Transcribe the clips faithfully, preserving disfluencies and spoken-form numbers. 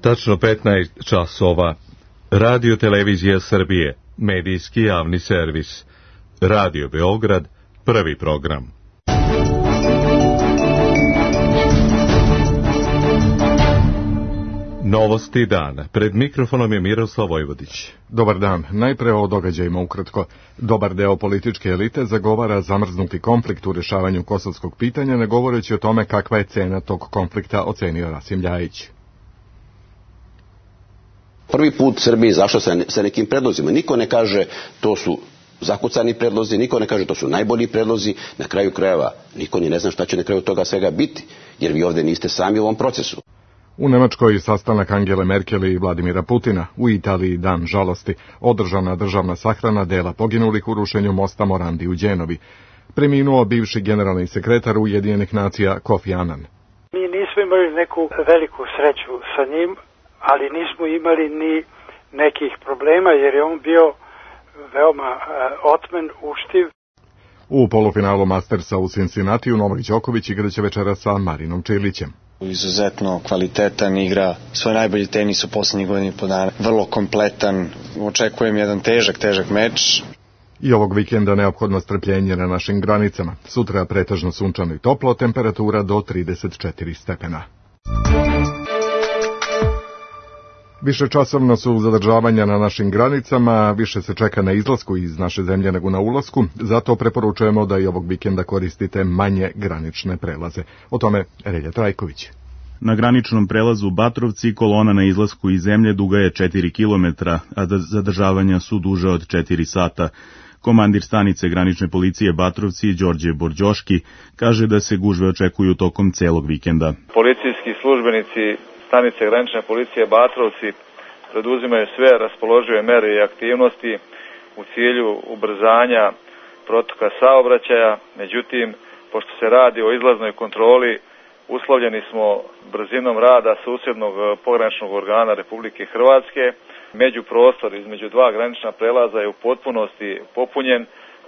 Tačno petnaest časova. Radio Televizija Srbije, medijski javni servis. Radio Beograd, prvi program. Novosti dana. Pred mikrofonom je Miroslav Vojvodić. Dobar dan. Najpre o događajima ukratko. Dobar deo političke elite zagovara zamrznuti konflikt u rešavanju kosovskog pitanja, ne govoreći o tome kakva je cena tog konflikta, ocenio Rasim Ljajić. Prvi put Srbija izašla sa, sa nekim predlozima. Niko ne kaže to su zakucani predlozi, niko ne kaže to su najbolji predlozi. Na kraju krajeva niko ni ne zna šta će na kraju toga svega biti, jer vi ovde niste sami u ovom procesu. U Nemačkoj sastanak Angele Merkel i Vladimira Putina, u Italiji dan žalosti, održana državna sahrana dela poginulih u rušenju mosta Morandi u Đenovi. Preminuo bivši generalni sekretar Ujedinjenih nacija Kofi Annan. Mi nismo imali neku veliku sreću sa njim, ali nismo imali ni nekih problema, jer je on bio veoma uh, otmen, uštiv. U polufinalu Mastersa u Cincinnatiju Novak Đoković igraće večera sa Marinom Čilićem. Izuzetno kvalitetan, igra svoj najbolji tenis u poslednjih godina i po dana. Vrlo kompletan, očekujem jedan težak, težak meč. I ovog vikenda neophodno strpljenje na našim granicama. Sutra pretežno sunčano i toplo, temperatura do trideset četiri stepena. Višečasovno su zadržavanja na našim granicama, više se čeka na izlasku iz naše zemlje nego na ulasku, zato preporučujemo da i ovog vikenda koristite manje granične prelaze. O tome Relja Trajković. Na graničnom prelazu Batrovci kolona na izlasku iz zemlje duga je četiri kilometra, a zadržavanja su duže od četiri sata. Komandir stanice granične policije Batrovci, Đorđe Borđoški, kaže da se gužve očekuju tokom celog vikenda. Policijski službenici stanice granične policije Batrovci preduzimaju sve raspoložive mere i aktivnosti u cilju ubrzanja protoka saobraćaja. Međutim, pošto se radi o izlaznoj kontroli, uslovljeni smo brzinom rada susjednog pograničnog organa Republike Hrvatske. Međuprostor između dva granična prelaza je u potpunosti popunjen.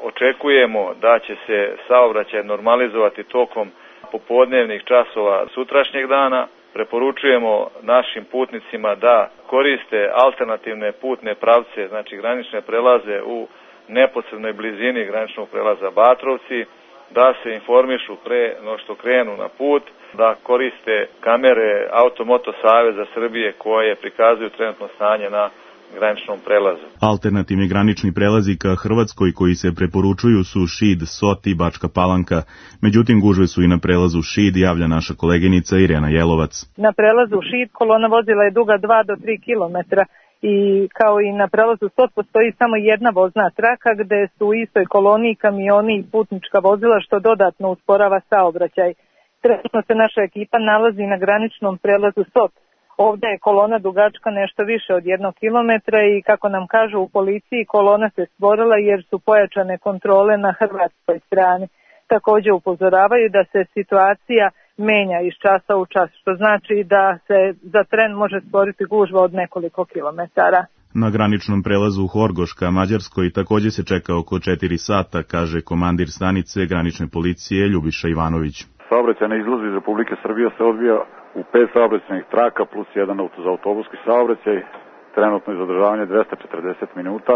Očekujemo da će se saobraćaj normalizovati tokom popodnevnih časova sutrašnjeg dana. Preporučujemo našim putnicima da koriste alternativne putne pravce, znači granične prelaze u neposrednoj blizini graničnog prelaza Batrovci, da se informišu pre no što krenu na put, da koriste kamere Automoto Saveza Srbije koje prikazuju trenutno stanje na graničnom prelazu. Alternativni granični prelazi ka Hrvatskoj koji se preporučuju su Šid, Sot i Bačka Palanka. Međutim, gužve su i na prelazu Šid, javlja naša koleginica Irena Jelovac. Na prelazu Šid kolona vozila je duga dva do tri kilometra i kao i na prelazu Sot postoji samo jedna vozna traka gde su u istoj koloni kamioni i putnička vozila što dodatno usporava saobraćaj. Trenutno se naša ekipa nalazi na graničnom prelazu Sot. Ovde je kolona dugačka nešto više od jednog kilometra i kako nam kažu u policiji, kolona se stvorila jer su pojačane kontrole na hrvatskoj strani. Također upozoravaju da se situacija menja iz časa u čas, što znači da se za tren može stvoriti gužva od nekoliko kilometara. Na graničnom prelazu Horgoš ka Mađarskoj također se čeka oko četiri sata, kaže komandir stanice granične policije Ljubiša Ivanović. Saobraćaj na izlazu iz Republike Srbije se odvija u pet saobraćajnih traka plus jedan auto za autobuski saobraćaj. Trenutno je zadržavanje dvesta četrdeset minuta.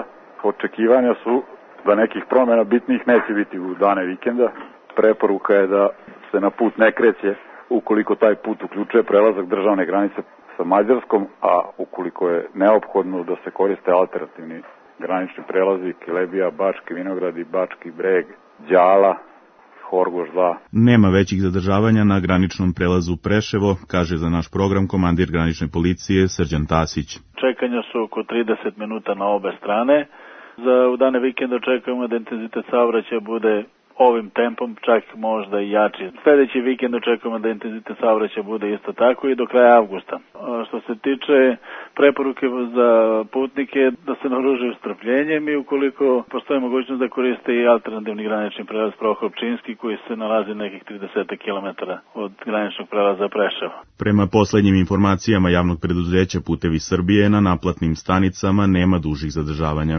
Očekivanja su da nekih promjena bitnih neće biti u dane vikenda. Preporuka je da se na put ne kreće ukoliko taj put uključuje prelazak državne granice sa Mađarskom, a ukoliko je neophodno da se koriste alternativni granični prelazi Kilebija, Bački Vinogradi, Bački Breg, Đala, Horgoš dva. Nema većih zadržavanja na graničnom prelazu Preševo, kaže za naš program komandir granične policije Srđan Tasić. Čekanja su oko trideset minuta na obe strane. Za u dane vikenda očekujemo da intenzitet saobraćaja bude ovim tempom, čak možda i jači. Sljedeći vikend očekujemo da intenzitet saobraćaja bude isto tako i do kraja avgusta. Što se tiče preporuke za putnike da se naoružaju strpljenjem i ukoliko postoji mogućnost da koriste i alternativni granični prelaz Prohor-Pčinski koji se nalazi nekih trideset kilometara od graničnog prelaza Preševa. Prema poslednjim informacijama javnog preduzeća Putevi Srbije na naplatnim stanicama nema dužih zadržavanja.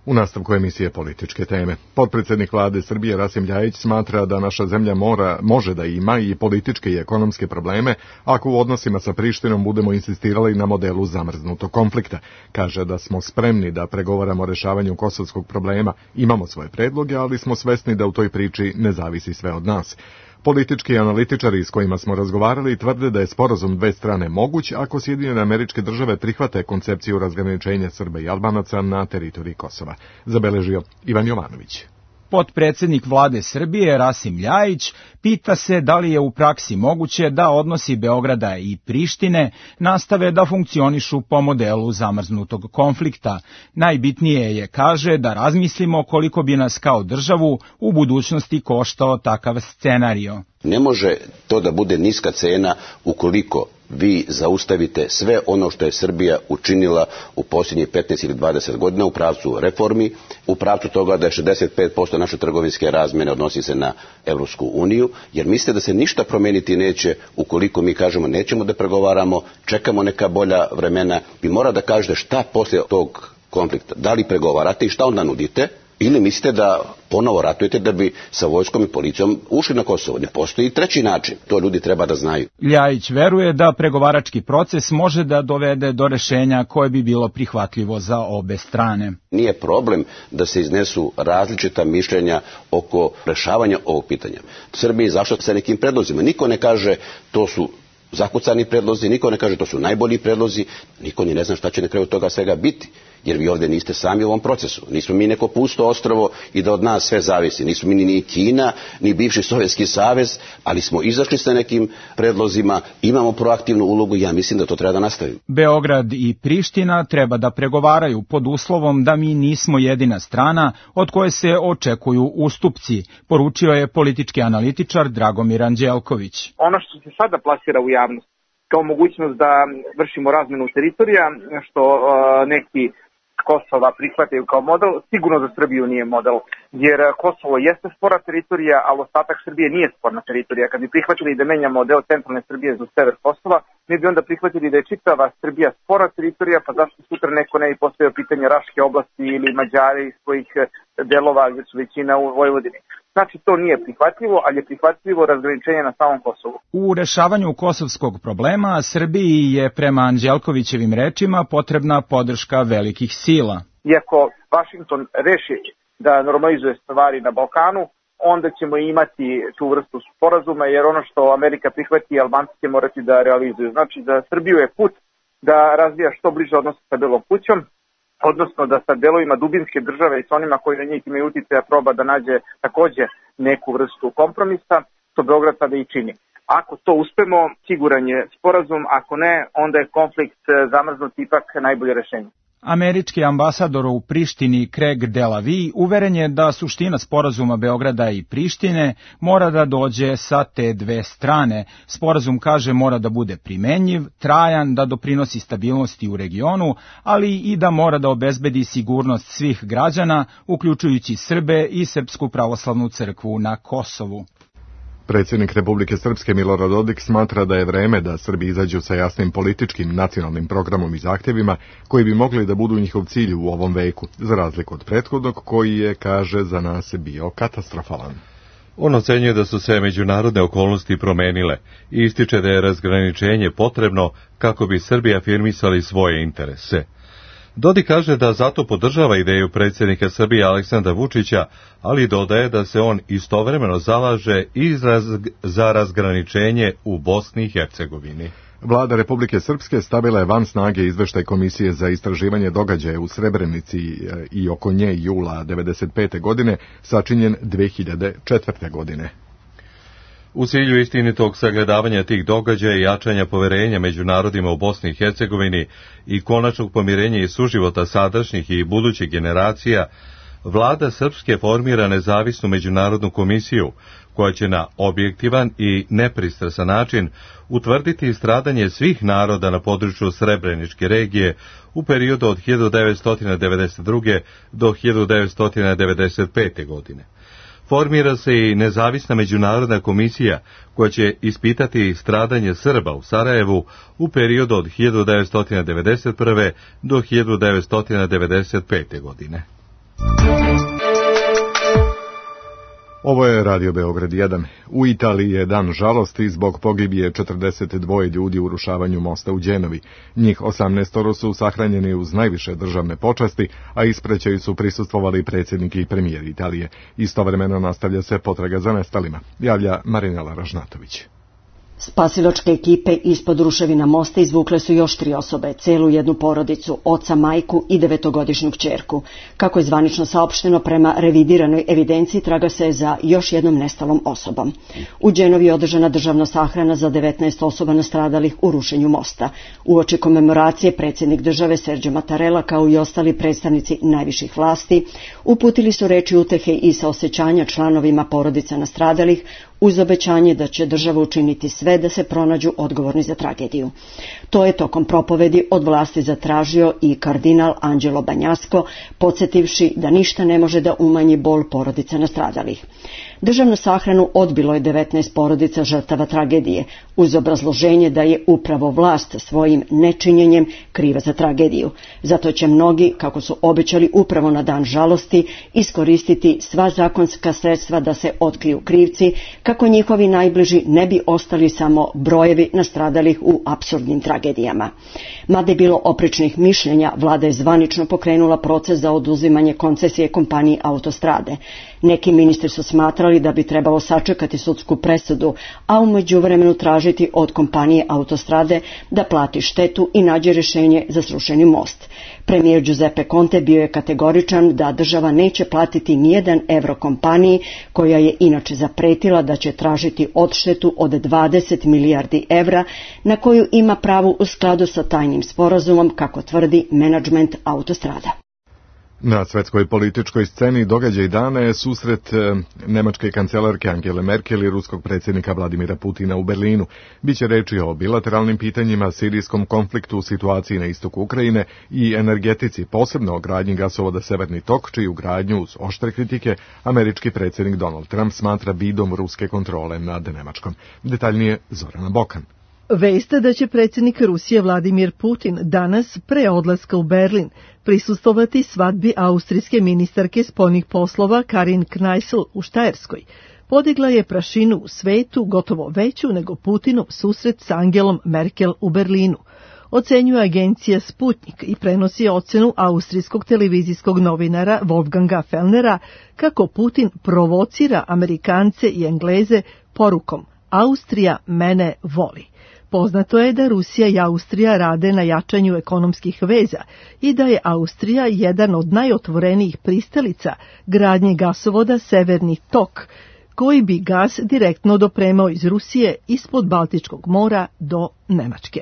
U nastavku emisije političke teme. Potpredsjednik vlade Srbije Rasim Ljajić smatra da naša zemlja mora, može da ima i političke i ekonomske probleme ako u odnosima sa Prištinom budemo insistirali na modelu zamrznutog konflikta. Kaže da smo spremni da pregovaramo o rešavanju kosovskog problema, imamo svoje predloge, ali smo svesni da u toj priči ne zavisi sve od nas. Politički analitičari s kojima smo razgovarali tvrde da je sporazum dve strane moguć ako Sjedinjene Američke Države prihvate koncepciju razgraničenja Srba i Albanaca na teritoriji Kosova, zabeležio Ivan Jovanović. Potpredsjednik vlade Srbije Rasim Ljajić pita se da li je u praksi moguće da odnosi Beograda i Prištine nastave da funkcionišu po modelu zamrznutog konflikta. Najbitnije je, kaže, da razmislimo koliko bi nas kao državu u budućnosti koštao takav scenario. Ne može to da bude niska cena ukoliko vi zaustavite sve ono što je Srbija učinila u posljednjih petnaest ili dvadeset godina u pravcu reformi, u pravcu toga da je šezdeset pet posto naše trgovinske razmjene odnosi se na Evropsku uniju, jer mislite da se ništa promeniti neće ukoliko mi kažemo nećemo da pregovaramo, čekamo neka bolja vremena. Vi mora da kažete šta poslije tog konflikta, da li pregovarate i šta onda nudite, ili mislite da ponovo ratujete da bi sa vojskom i policijom ušli na Kosovo. Ne postoji treći način. To ljudi treba da znaju. Ljajić veruje da pregovarački proces može da dovede do rešenja koje bi bilo prihvatljivo za obe strane. Nije problem da se iznesu različita mišljenja oko rešavanja ovog pitanja. Srbija je izašla sa nekim predlozima. Niko ne kaže to su zakucani predlozi, niko ne kaže to su najbolji predlozi, niko ni ne zna šta će na kraju toga svega biti. Jer vi ovdje niste sami u ovom procesu. Nismo mi neko pusto ostrvo i da od nas sve zavisi. Nismo mi ni Kina, ni bivši Sovjetski savez, ali smo izašli sa nekim predlozima, imamo proaktivnu ulogu i ja mislim da to treba da nastavimo. Beograd i Priština treba da pregovaraju pod uslovom da mi nismo jedina strana od koje se očekuju ustupci, poručio je politički analitičar Dragomir Anđelković. Ono što se sada plasira u javnost kao mogućnost da vršimo razmenu teritorija, što uh, neki Kosova prihvataju kao model, sigurno za Srbiju nije model, jer Kosovo jeste spora teritorija, ali ostatak Srbije nije sporna teritorija. Kad bi prihvatili da menjamo deo centralne Srbije za sever Kosova, mi bi onda prihvatili da je čitava Srbija spora teritorija, pa zašto sutra neko ne bi postavio pitanje Raške oblasti ili Mađari iz svojih delova gdje su većina u Vojvodini. Znači, to nije prihvatljivo, ali je prihvatljivo razgraničenje na samom Kosovu. U rešavanju kosovskog problema Srbiji je prema Anđelkovićevim rečima potrebna podrška velikih sila. Iako Vašington reši da normalizuje stvari na Balkanu, onda ćemo imati tu vrstu sporazuma, jer ono što Amerika prihvati, Albanci će morati da realizuju. Znači, za Srbiju je put da razvija što bliže odnose sa Belom kućom, odnosno da sa delovima dubinske države i s onima koji na njih imaju uticaja proba da nađe takođe neku vrstu kompromisa, što Beograd sada i čini. Ako to uspemo, siguran je sporazum, ako ne, onda je konflikt zamrznut ipak najbolje rešenje. Američki ambasador u Prištini Craig Delavi uveren je da suština sporazuma Beograda i Prištine mora da dođe sa te dve strane. Sporazum, kaže, mora da bude primenjiv, trajan, da doprinosi stabilnosti u regionu, ali i da mora da obezbedi sigurnost svih građana, uključujući Srbe i Srpsku pravoslavnu crkvu na Kosovu. Predsjednik Republike Srpske Milorad Dodik smatra da je vreme da Srbi izađu sa jasnim političkim nacionalnim programom i zahtjevima koji bi mogli da budu njihov cilj u ovom veku, za razliku od prethodnog koji je, kaže, za nas bio katastrofalan. On ocenjuje da su se međunarodne okolnosti promenile i ističe da je razgraničenje potrebno kako bi Srbi afirmisali svoje interese. Dodik kaže da zato podržava ideju predsjednika Srbije Aleksandra Vučića, ali dodaje da se on istovremeno zalaže i za razgraničenje u Bosni i Hercegovini. Vlada Republike Srpske stavila je van snage izveštaj Komisije za istraživanje događaja u Srebrenici i oko nje jula devedeset pete. godine, sačinjen dve hiljade četvrte. godine. U cilju istinitog sagledavanja tih događaja i jačanja poverenja među narodima u Bosni i Hercegovini i konačnog pomirenja i suživota sadašnjih i budućih generacija, Vlada Srpske formira nezavisnu međunarodnu komisiju koja će na objektivan i nepristrasan način utvrditi stradanje svih naroda na području Srebreničke regije u periodu od hiljadu devetsto devedeset druge. do hiljadu devetsto devedeset pete. godine. Formira se i nezavisna međunarodna komisija koja će ispitati stradanje Srba u Sarajevu u periodu od hiljadu devetsto devedeset prve. do hiljadu devetsto devedeset pete. godine. Ovo je Radio Beograd jedan. U Italiji je dan žalosti zbog pogibije četrdeset dva ljudi u urušavanju mosta u Đenovi. Njih osamnaestoro su sahranjeni uz najviše državne počasti, a ispraćaju su prisustvovali predsjednik i premijer Italije. Istovremeno nastavlja se potraga za nestalima, javlja Marinela Ražnatović. Spasilačke ekipe ispod ruševina mosta izvukle su još tri osobe, celu jednu porodicu, oca, majku i devetogodišnju kćerku. Kako je zvanično saopšteno, prema revidiranoj evidenciji traga se za još jednom nestalom osobom. U Đenovi je održana državna sahrana za devetnaest osoba nastradalih u rušenju mosta. Uoči komemoracije predsjednik države Sergio Mattarella kao i ostali predstavnici najviših vlasti uputili su reči utehe i saosećanja članovima porodica nastradalih, uz obećanje da će država učiniti sve da se pronađu odgovorni za tragediju. To je tokom propovedi od vlasti zatražio i kardinal Angelo Bagnasco, podsjetivši da ništa ne može da umanji bol porodica nastradalih. Državnu sahranu odbilo je devetnaest porodica žrtava tragedije, uz obrazloženje da je upravo vlast svojim nečinjenjem kriva za tragediju. Zato će mnogi, kako su obećali upravo na dan žalosti, iskoristiti sva zakonska sredstva da se otkriju krivci, kako njihovi najbliži ne bi ostali samo brojevi nastradalih u apsurdnim tragedijama. Mada je bilo oprečnih mišljenja, vlada je zvanično pokrenula proces za oduzimanje koncesije kompaniji Autostrade. Neki ministri su smatrali da bi trebalo sačekati sudsku presudu, a u međuvremenu tražiti od kompanije Autostrade da plati štetu i nađe rješenje za srušeni most. Premijer Giuseppe Conte bio je kategoričan da država neće platiti nijedan evro kompaniji, koja je inače zapretila da će tražiti odštetu od dvadeset milijardi evra, na koju ima pravo u skladu sa tajnim sporazumom, kako tvrdi menadžment Autostrada. Na svetskoj političkoj sceni događaj dana je susret nemačke kancelarke Angele Merkel i ruskog predsjednika Vladimira Putina u Berlinu. Biće reči o bilateralnim pitanjima, sirijskom konfliktu, situaciji na istoku Ukrajine i energetici, posebno o gradnji gasovoda Severni tok, čiju gradnju uz oštre kritike američki predsjednik Donald Trump smatra vidom ruske kontrole nad Nemačkom. Detaljnije Zorana Bokan. Vest da će predsjednik Rusije Vladimir Putin danas pre odlaska u Berlin prisustvovati svadbi austrijske ministarke spoljnih poslova Karin Kneißl u Štajerskoj podigla je prašinu u svetu gotovo veću nego Putinov susret s Angelom Merkel u Berlinu, ocenjuje agencija Sputnik i prenosi ocenu austrijskog televizijskog novinara Wolfganga Fellnera kako Putin provocira Amerikance i Engleze porukom Austrija mene voli. Poznato je da Rusija i Austrija rade na jačanju ekonomskih veza i da je Austrija jedan od najotvorenijih pristalica gradnje gasovoda Severni tok, koji bi gas direktno dopremao iz Rusije ispod Baltičkog mora do Nemačke.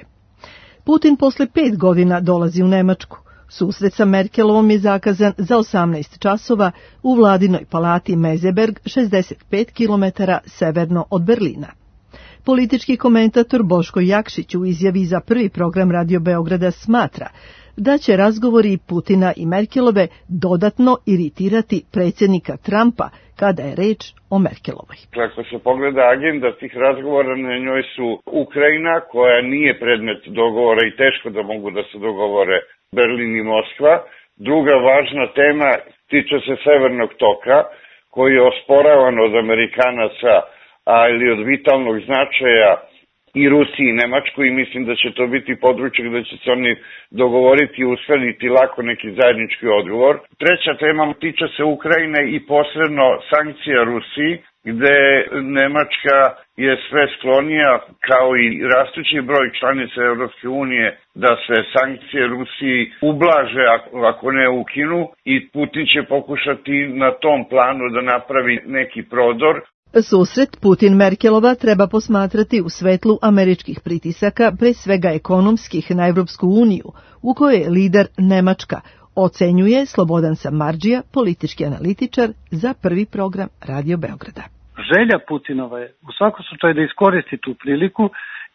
Putin posle pet godina dolazi u Nemačku. Susret sa Merkelovom je zakazan za osamnaest časova u vladinoj palati Meseberg, šezdeset pet kilometara severno od Berlina. Politički komentator Boško Jakšić u izjavi za prvi program Radio Beograda smatra da će razgovori Putina i Merkelove dodatno iritirati predsjednika Trumpa kada je reč o Merkelovoj. Ako se pogleda agenda tih razgovora, na njoj su Ukrajina, koja nije predmet dogovora i teško da mogu da se dogovore Berlin i Moskva. Druga važna tema tiče se Severnog toka, koji je osporavan od Amerikanaca, ali od vitalnog značaja i Rusiji i Nemačkoj, i mislim da će to biti područje gde će se oni dogovoriti i uskladiti lako neki zajednički odgovor. Treća tema tiče se Ukrajine i posredno sankcija Rusiji, gde Nemačka je sve sklonija, kao i rastući broj članica Europske unije, da se sankcije Rusiji ublaže, ako ne ukinu, i Putin će pokušati na tom planu da napravi neki prodor. Susret Putin-Merkelova treba posmatrati u svetlu američkih pritisaka, pre svega ekonomskih, na Evropsku uniju, u kojoj je lider Nemačka, ocenjuje Slobodan Samardžija, politički analitičar za prvi program Radio Beograda. Želja Putinova je u svakom slučaju da iskoristi tu priliku,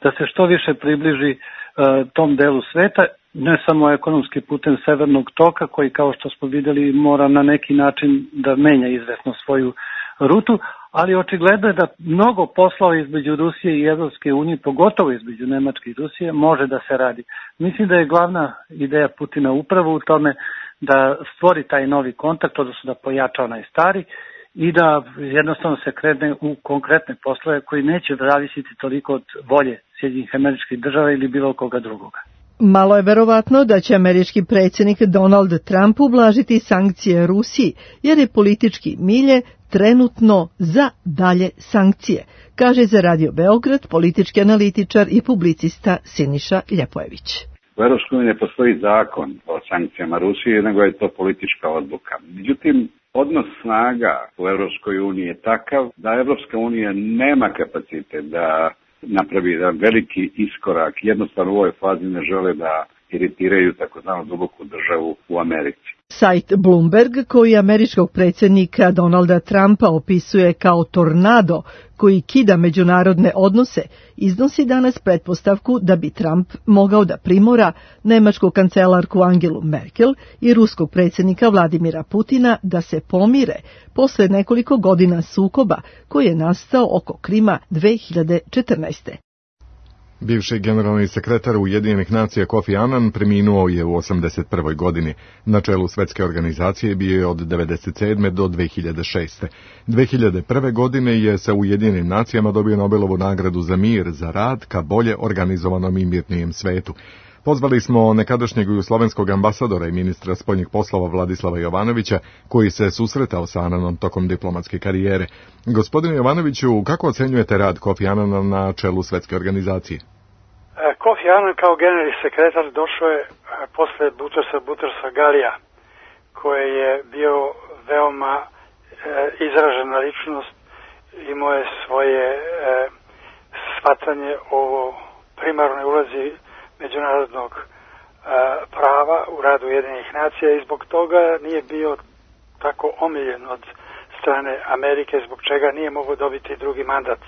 da se što više približi uh, tom delu sveta, ne samo ekonomski putem Severnog toka, koji, kao što smo vidjeli, mora na neki način da menja izvesno svoju rutu, ali očigledno je da mnogo poslova između Rusije i Evropske unije, pogotovo između Nemačke i Rusije, može da se radi. Mislim da je glavna ideja Putina upravo u tome da stvori taj novi kontakt, odnosno da pojača onaj stari i da jednostavno se krene u konkretne poslove koji neće zavisiti toliko od volje Sjedinjenih Američkih Država ili bilo koga drugoga. Malo je verovatno da će američki predsjednik Donald Trump ublažiti sankcije Rusiji, jer je politički milje trenutno za dalje sankcije, kaže za Radio Beograd politički analitičar i publicista Siniša Ljepojević. U Evropskoj uniji ne postoji zakon o sankcijama Rusije, nego je to politička odluka. Međutim, odnos snaga u Evropskoj uniji je takav da Evropska unija nema kapacitet da napravi jedan veliki iskorak. Jednostavno u ovoj fazi ne žele da iritiraju takozvanu duboku državu u Americi. Sajt Bloomberg, koji američkog predsjednika Donalda Trumpa opisuje kao tornado koji kida međunarodne odnose, iznosi danas pretpostavku da bi Trump mogao da primora nemačku kancelarku Angelu Merkel i ruskog predsjednika Vladimira Putina da se pomire posle nekoliko godina sukoba koji je nastao oko Krima dve hiljade četrnaeste. Bivši generalni sekretar Ujedinjenih nacija Kofi Annan preminuo je u osamdeset prvoj godini. Na čelu svetske organizacije bio je od devedeset sedme do dve hiljade šeste. dve hiljade prve. godine je sa Ujedinjenim nacijama dobio Nobelovu nagradu za mir za rad ka bolje organizovanom i mirnijem svetu. Pozvali smo nekadašnjeg jugoslovenskog ambasadora i ministra spoljnih poslova Vladislava Jovanovića, koji se susretao sa Annanom tokom diplomatske karijere. Gospodine Jovanoviću, kako ocenjujete rad Kofi Annana na čelu svetske organizacije? Kofi Annan kao generalni sekretar došao je posle Butersa Butersa Galija, koji je bio veoma e, izražena ličnost, imao je svoje e, shvatanje o primarnoj ulozi međunarodnog e, prava u radu Ujedinjenih nacija i zbog toga nije bio tako omiljen od strane Amerike, zbog čega nije mogao dobiti drugi mandat.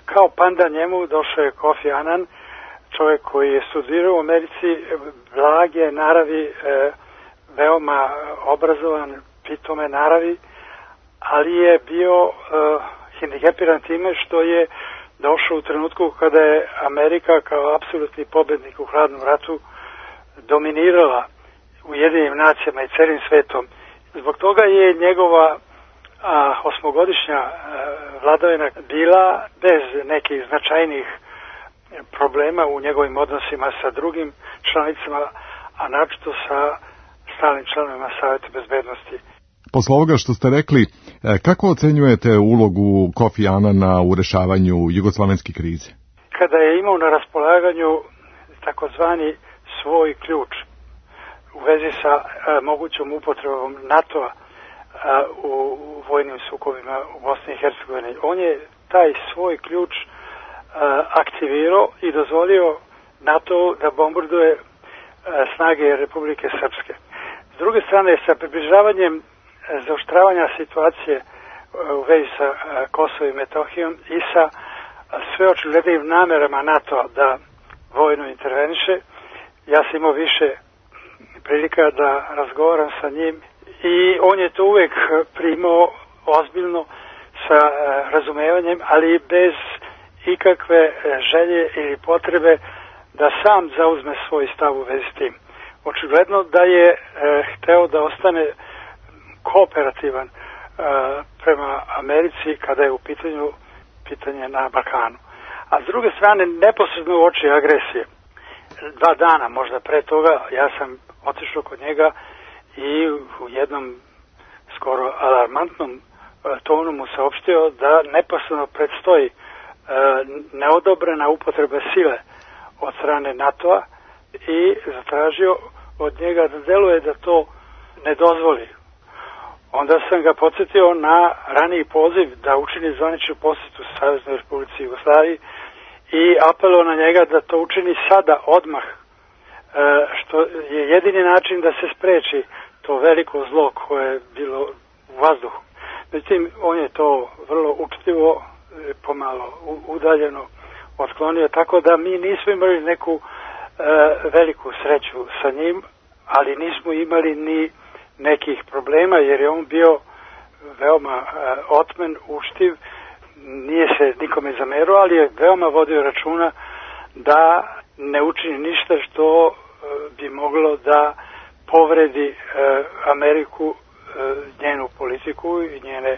Kao panda njemu došao je Kofi Annan, čovjek koji je studirao u Americi, blage naravi, e, veoma obrazovan, pitome naravi, ali je bio e, hendikepiran time što je došao u trenutku kada je Amerika kao apsolutni pobednik u hladnom ratu dominirala Ujedinjenim nacijama i celim svetom. Zbog toga je njegova a, osmogodišnja a, vladavina bila bez nekih značajnih problema u njegovim odnosima sa drugim članicama, a naročito sa stalnim članovima Saveta bezbednosti. Posle ovoga što ste rekli, kako ocenjujete ulogu Kofi Annana u rešavanju jugoslovenske krize? Kada je imao na raspolaganju takozvani svoj ključ u vezi sa a, mogućom upotrebom NATO-a a, u, u vojnim sukobima u Bosni i Hercegovini, on je taj svoj ključ a, aktivirao i dozvolio NATO da bombarduje a, snage Republike Srpske. S druge strane, sa približavanjem zaoštravanja situacije u vezi sa Kosovom i Metohijom i sa sve očiglednim namerama NATO da vojno interveniše, ja sam imao više prilika da razgovaram sa njim i on je to uvek primao ozbiljno sa razumevanjem, ali bez ikakve želje ili potrebe da sam zauzme svoj stav u vezi s tim. Očigledno da je e, hteo da ostane kooperativan e, prema Americi kada je u pitanju pitanje na Balkanu. A s druge strane, neposredno u oči agresije, dva dana možda pre toga, ja sam otišao kod njega i u jednom skoro alarmantnom e, tonu mu saopštio da neposredno predstoji e, neodobrena upotreba sile od strane NATO-a i zatražio od njega da deluje da to ne dozvoli. Onda sam ga podsjetio na raniji poziv da učini zvaničnu posjetu Saveznoj Republici Jugoslaviji i apelao na njega da to učini sada, odmah, što je jedini način da se spreči to veliko zlo koje je bilo u vazduhu. Međutim, on je to vrlo učtivo, pomalo udaljeno otklonio, tako da mi nismo imali neku e, veliku sreću sa njim, ali nismo imali ni nekih problema, jer je on bio veoma otmen, uštiv, nije se nikome zamerao, ali je veoma vodio računa da ne učini ništa što bi moglo da povredi Ameriku, njenu politiku i njene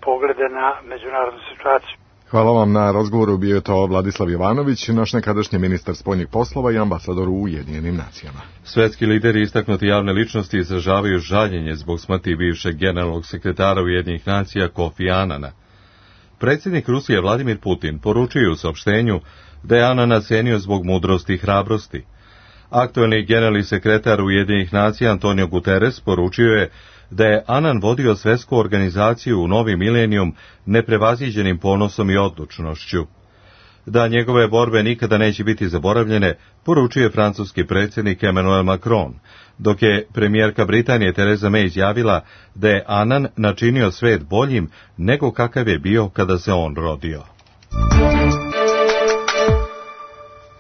poglede na međunarodnu situaciju. Hvala vam na razgovoru, bio je to Vladislav Jovanović, naš nekadašnji ministar spoljnih poslova i ambasador u Ujedinjenim nacijama. Svetski lideri i istaknuti javne ličnosti izražavaju žaljenje zbog smrti bivšeg generalnog sekretara Ujedinjenih nacija Kofi Anana. Predsjednik Rusije Vladimir Putin poručio u saopštenju da je Anana cenio zbog mudrosti i hrabrosti. Aktuelni generalni sekretar Ujedinjenih nacija Antonio Guterres poručio je da je Anan vodio svetsku organizaciju u novi milenijum neprevaziđenim ponosom i odlučnošću. Da njegove borbe nikada neće biti zaboravljene, poručuje francuski predsjednik Emmanuel Macron, dok je premijerka Britanije Theresa May izjavila da je Anan načinio svet boljim nego kakav je bio kada se on rodio.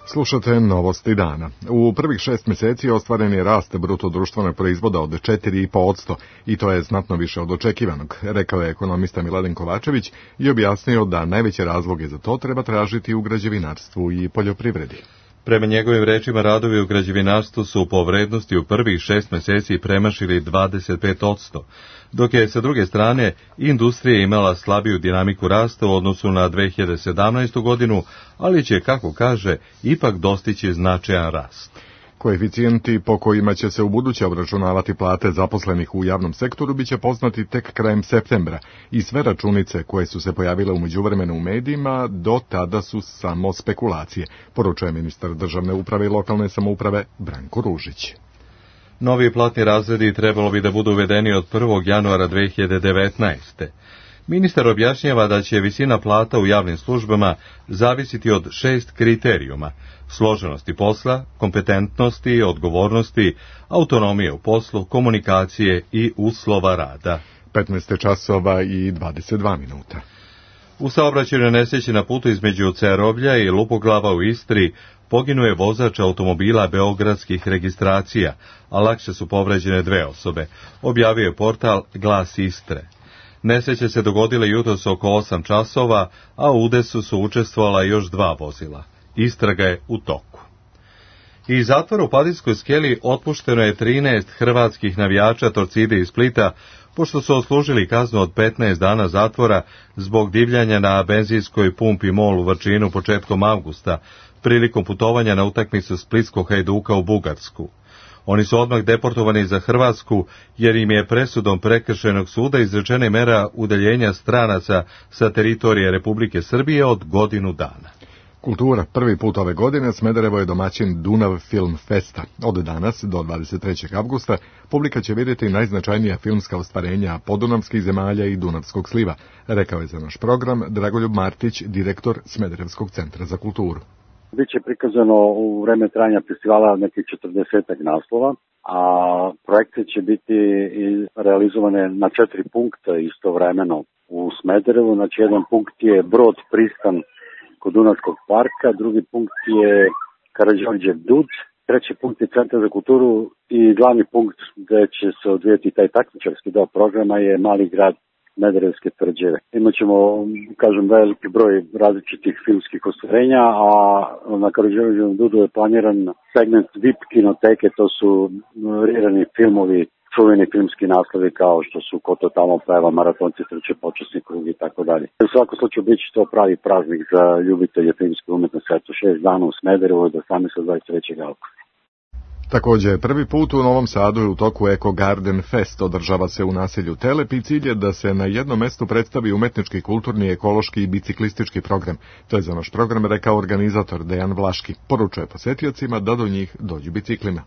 Slušate novosti dana. U prvih šest mjeseci ostvaren je rast bruto društvenog proizvoda od četiri i po posto i to je znatno više od očekivanog, rekao je ekonomista Miladin Kovačević i objasnio da najveće razloge za to treba tražiti u građevinarstvu i poljoprivredi. Prema njegovim rečima, radovi u građevinarstvu su po vrednosti u prvih šest mjeseci premašili dvadeset pet posto, dok je sa druge strane industrija imala slabiju dinamiku rasta u odnosu na dve hiljade sedamnaestu. godinu, ali će, kako kaže, ipak dostići značajan rast. Koeficijenti po kojima će se ubuduće obračunavati plate zaposlenih u javnom sektoru biće poznati tek krajem septembra i sve računice koje su se pojavile u međuvremenu u medijima do tada su samo spekulacije, poručuje ministar državne uprave i lokalne samouprave Branko Ružić. Novi platni razredi trebalo bi da budu uvedeni od prvog januara dve hiljade devetnaeste. Ministar objašnjava da će visina plata u javnim službama zavisiti od šest kriterijuma: složenosti posla, kompetentnosti, odgovornosti, autonomije u poslu, komunikacije i uslova rada. petnaest časova i dvadeset dva minuta. U saobraćajnoj nesreći na putu između Cerovlja i Lupoglava u Istri poginuo je vozač automobila beogradskih registracija, a lakše su povređene dve osobe, objavio je portal Glas Istre. Nesreće se dogodile jutros oko osam časova, a u udesu su učestvovala još dva vozila. Istraga je u toku. Iz zatvora u Padinskoj skeli otpušteno je trinaest hrvatskih navijača Torcide iz Splita, pošto su odslužili kaznu od petnaest dana zatvora zbog divljanja na benzinskoj pumpi MOL u Vrčinu početkom avgusta, prilikom putovanja na utakmicu splitskog Hajduka u Bugarsku. Oni su odmah deportovani za Hrvatsku, jer im je presudom prekršajnog suda izrečena mera udaljenja stranaca sa teritorije Republike Srbije od godinu dana. Kultura. Prvi put ove godine Smederevo je domaćin Dunav Film Festa. Od danas do dvadeset trećeg avgusta publika će vidjeti najznačajnija filmska ostvarenja podunavskih zemalja i Dunavskog sliva, rekao je za naš program Dragoljub Martić, direktor Smederevskog centra za kulturu. Biće prikazano u vreme trajanja festivala nekih četrdesetak naslova, a projekte će biti realizovane na četiri punkta istovremeno u Smederevu. Znači, jedan punkt je Brod pristan kod Dunavskog parka, drugi punkt je Karađorđev Dud, treći punkt je Centar za kulturu i glavni punkt gde će se odvijeti taj takmičarski deo programa je Mali grad Smederevske tvrđave. Imaćemo, kažem, veliki broj različitih filmskih ostvarenja, a na Karađorđevom Dudu je planiran segment V I P kinoteke, to su rirani filmovi, čuveni filmski naslovi kao što su Ko to tamo peva, Maratonci trče, Počasni krug i tako dalje. U svakom slučaju bit će to pravi praznik za ljubitelje filmske umetnosti, eto šest dana u Smederevu od osamnaestog do dvadeset trećeg avgusta. Također, prvi put u Novom Sadu je u toku Eko Garden Fest, održava se u naselju Telep i cilj je da se na jednom mestu predstavi umetnički, kulturni, ekološki i biciklistički program. To je za naš program rekao organizator Dejan Vlaški. Poručuje posetiocima da do njih dođu biciklima.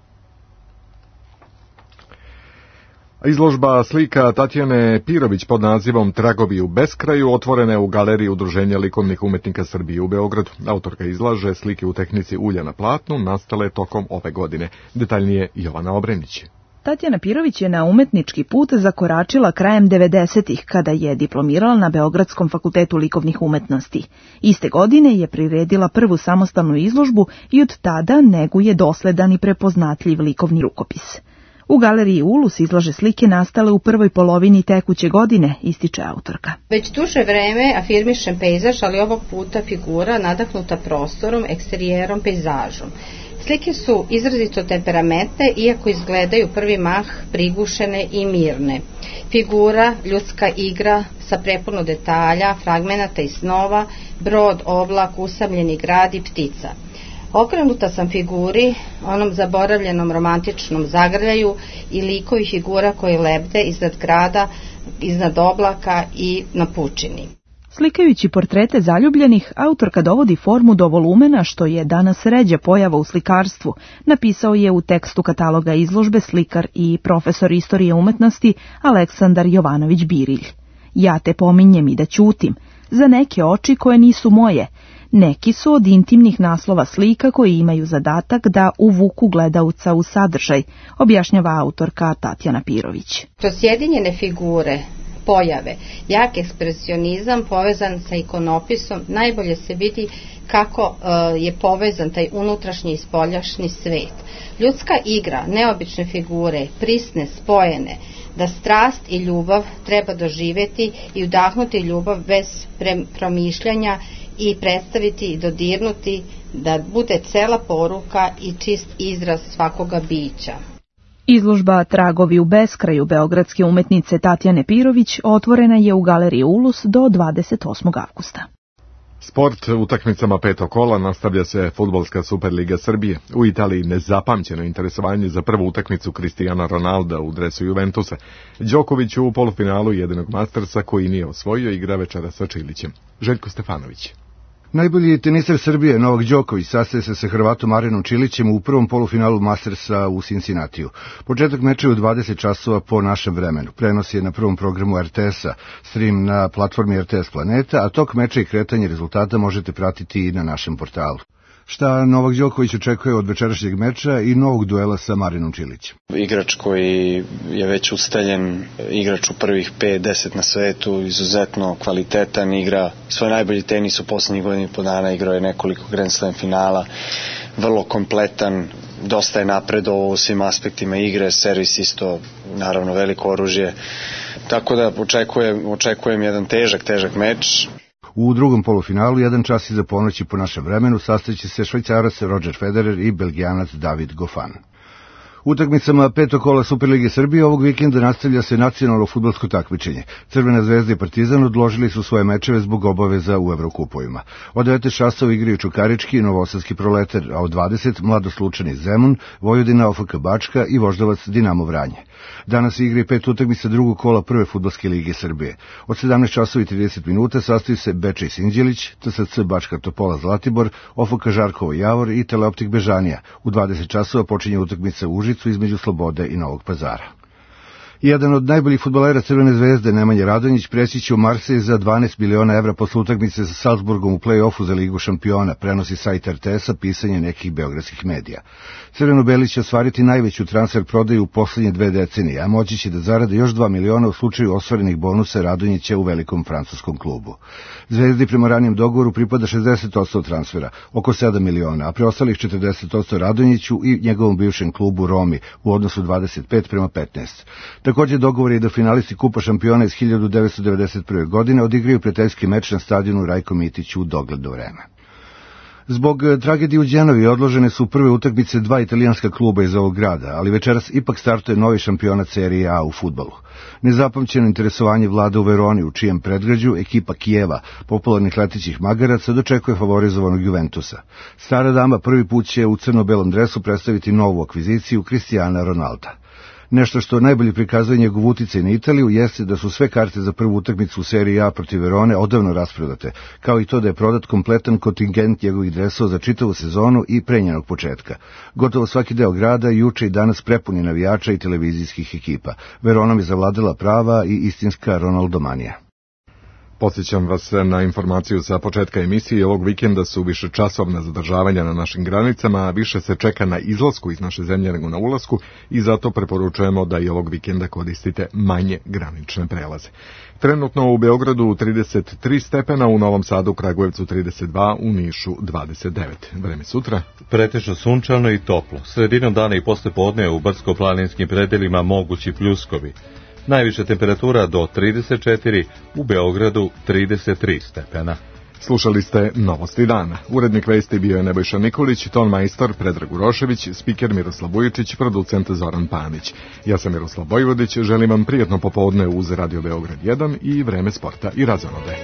Izložba slika Tatjane Pirović pod nazivom Tragovi u beskraju otvorena je u galeriji Udruženja likovnih umetnika Srbije u Beogradu. Autorka izlaže slike u tehnici ulja na platnu nastale tokom ove godine. Detaljnije Jovana Obrenić. Tatjana Pirović je na umetnički put zakoračila krajem devedesetih kada je diplomirala na Beogradskom fakultetu likovnih umetnosti. Iste godine je priredila prvu samostalnu izložbu i od tada neguje dosledan i prepoznatljiv likovni rukopis. U galeriji Ulus izlaže slike nastale u prvoj polovini tekuće godine, ističe autorka. Već duže vreme afirmišem pejzaž, ali ovog puta figura nadahnuta prostorom, eksterijerom, pejzažom. Slike su izrazito temperamentne, iako izgledaju prvi mah prigušene i mirne. Figura, ljudska igra sa prepuno detalja, fragmenata i snova, brod, oblak, usamljeni grad i ptica. Okrenuta sam figuri, onom zaboravljenom romantičnom zagrljaju i likovi figura koji lebde iznad grada, iznad oblaka i na pučini. Slikajući portrete zaljubljenih, autorka dovodi formu do volumena, što je danas ređa pojava u slikarstvu, napisao je u tekstu kataloga izložbe slikar i profesor istorije umetnosti Aleksandar Jovanović-Birilj. Ja te pominjem i da ćutim, za neke oči koje nisu moje. Neki su od intimnih naslova slika koji imaju zadatak da uvuku gledauca u sadržaj, objašnjava autorka Tatjana Pirović. Kroz sjedinjene figure, pojave, jak ekspresionizam povezan sa ikonopisom, najbolje se vidi kako uh, je povezan taj unutrašnji i spoljašnji svet. Ljudska igra, neobične figure, prisne, spojene, da strast i ljubav treba doživjeti i udahnuti ljubav bez promišljanja i predstaviti i dodirnuti, da bude cela poruka i čist izraz svakoga bića. Izložba Tragovi u beskraju beogradske umetnice Tatjane Pirović otvorena je u galeriji Ulus do dvadeset osmog avgusta. Sport, utakmicama petog kola nastavlja se Fudbalska Superliga Srbije. U Italiji nezapamćeno interesovanje za prvu utakmicu Cristiana Ronalda u dresu Juventusa. Đoković u polufinalu jedinog Mastersa koji nije osvojio igra večera sa Čilićem. Željko Stefanović. Najbolji teniser Srbije, Novak Đoković, sastaje se sa Hrvatom Arenom Čilićem u prvom polufinalu Mastersa u Cincinnatiju. Početak meča je u dvadeset časova po našem vremenu. Prenos je na prvom programu er te es-a, stream na platformi er te es Planeta, a tok meča i kretanje rezultata možete pratiti i na našem portalu. Šta Novak Đoković očekuje od večerašnjeg meča i novog duela sa Marinom Čilićem? Igrač koji je već ustaljen, igrač u prvih pet deset na svetu, izuzetno kvalitetan, igra svoj najbolji tenis u poslednjih godina i po dana, igrao je nekoliko Grand Slam finala, vrlo kompletan, dosta je napredovao u svim aspektima igre, servis isto naravno veliko oružje, tako da očekujem, očekujem jedan težak, težak meč. U drugom polufinalu, jedan čas iza ponoći po našem vremenu, sastaće se Švajcarac Roger Federer i Belgijanac David Goffin. Utakmicama petog kola Superlige Srbije ovog vikenda nastavlja se nacionalno fudbalsko takmičenje. Crvena zvezda i Partizan odložili su svoje mečeve zbog obaveza u Evrokupovima. Od devet časova igraju Čukarički i Novosadski Proletar, a od dvadeset Mladoslučani Zemun, Vojvodina, O F K Bačka i Voždovac Dinamo Vranje. Danas igra i pet utakmica drugog kola prve fudbalske lige Srbije. Od sedamnaest časova i trideset minuta sastaju se Bečej Sinđelić, T S C Bačka Topola Zlatibor, O F K Žarkovo Javor i Teleoptik Bežanija. U dvadeset časova počinje utakmica u Užicu između Slobode i Novog Pazara. Jedan od najboljih fudbalera Crvene zvezde, Nemanja Radonjić, preći će u Marsej za dvanaest miliona evra posle utakmice sa Salzburgom u play-offu za Ligu šampiona, prenosi sajt er te es-a, pisanje nekih beogradskih medija. Crveno-beli će ostvariti najveću transfer prodaju u poslednje dve decenije, a moći će da zarade još dva miliona u slučaju ostvarenih bonusa Radonjića u velikom francuskom klubu. Zvezdi prema ranijem dogovoru pripada šezdeset posto transfera, oko sedam miliona, a preostalih četrdeset posto Radonjiću i njegovom bivšem klubu Romi u odnosu dvadeset pet prema petnaest. Također dogovor je da finalisti Kupa šampiona iz hiljadu devetsto devedeset prve. godine odigraju prijateljski meč na stadionu Rajko Mitić u dogledno vreme. Zbog tragedije u Đenovi odložene su prve utakmice dva italijanska kluba iz ovog grada, ali večeras ipak startuje novi šampionat serije A u fudbalu. Nezapamćeno interesovanje vlada u Veroni, u čijem predgrađu ekipa Kijeva, popularnih letećih magaraca, dočekuje favorizovanog Juventusa. Stara dama prvi put će u crno-belom dresu predstaviti novu akviziciju Cristiana Ronalda. Nešto što najbolje prikazuje njegov uticaj na Italiju jeste da su sve karte za prvu utakmicu u seriji A protiv Verone odavno rasprodate, kao i to da je prodat kompletan kontingent njegovih dresova za čitavu sezonu i pre njenog početka. Gotovo svaki deo grada juče i danas prepuni navijača i televizijskih ekipa. Veronom je zavladala prava i istinska Ronaldomanija. Podsjećam vas na informaciju sa početka emisije. Ovog vikenda su više časovna zadržavanja na našim granicama, a više se čeka na izlasku iz naše zemlje nego na ulasku i zato preporučujemo da i ovog vikenda koristite manje granične prelaze. Trenutno u Beogradu trideset tri stepena, u Novom Sadu, Kragujevcu trideset dva, u Nišu dvadeset devet. Vreme sutra? Pretežno sunčano i toplo. Sredinom dana i posle podne u brdsko-planinskim predelima mogući pljuskovi. Najviša temperatura do trideset četiri, u Beogradu trideset tri stepena. Slušali ste Novosti dana. Urednik vesti bio je Nebojša Nikolić, ton majstor Predrag Urošević, spiker Miroslav Vujičić, producent Zoran Panić. Ja sam Miroslav Vojvodić, želim vam prijatno popodne uz Radio Beograd jedan i Vreme sporta i razonode.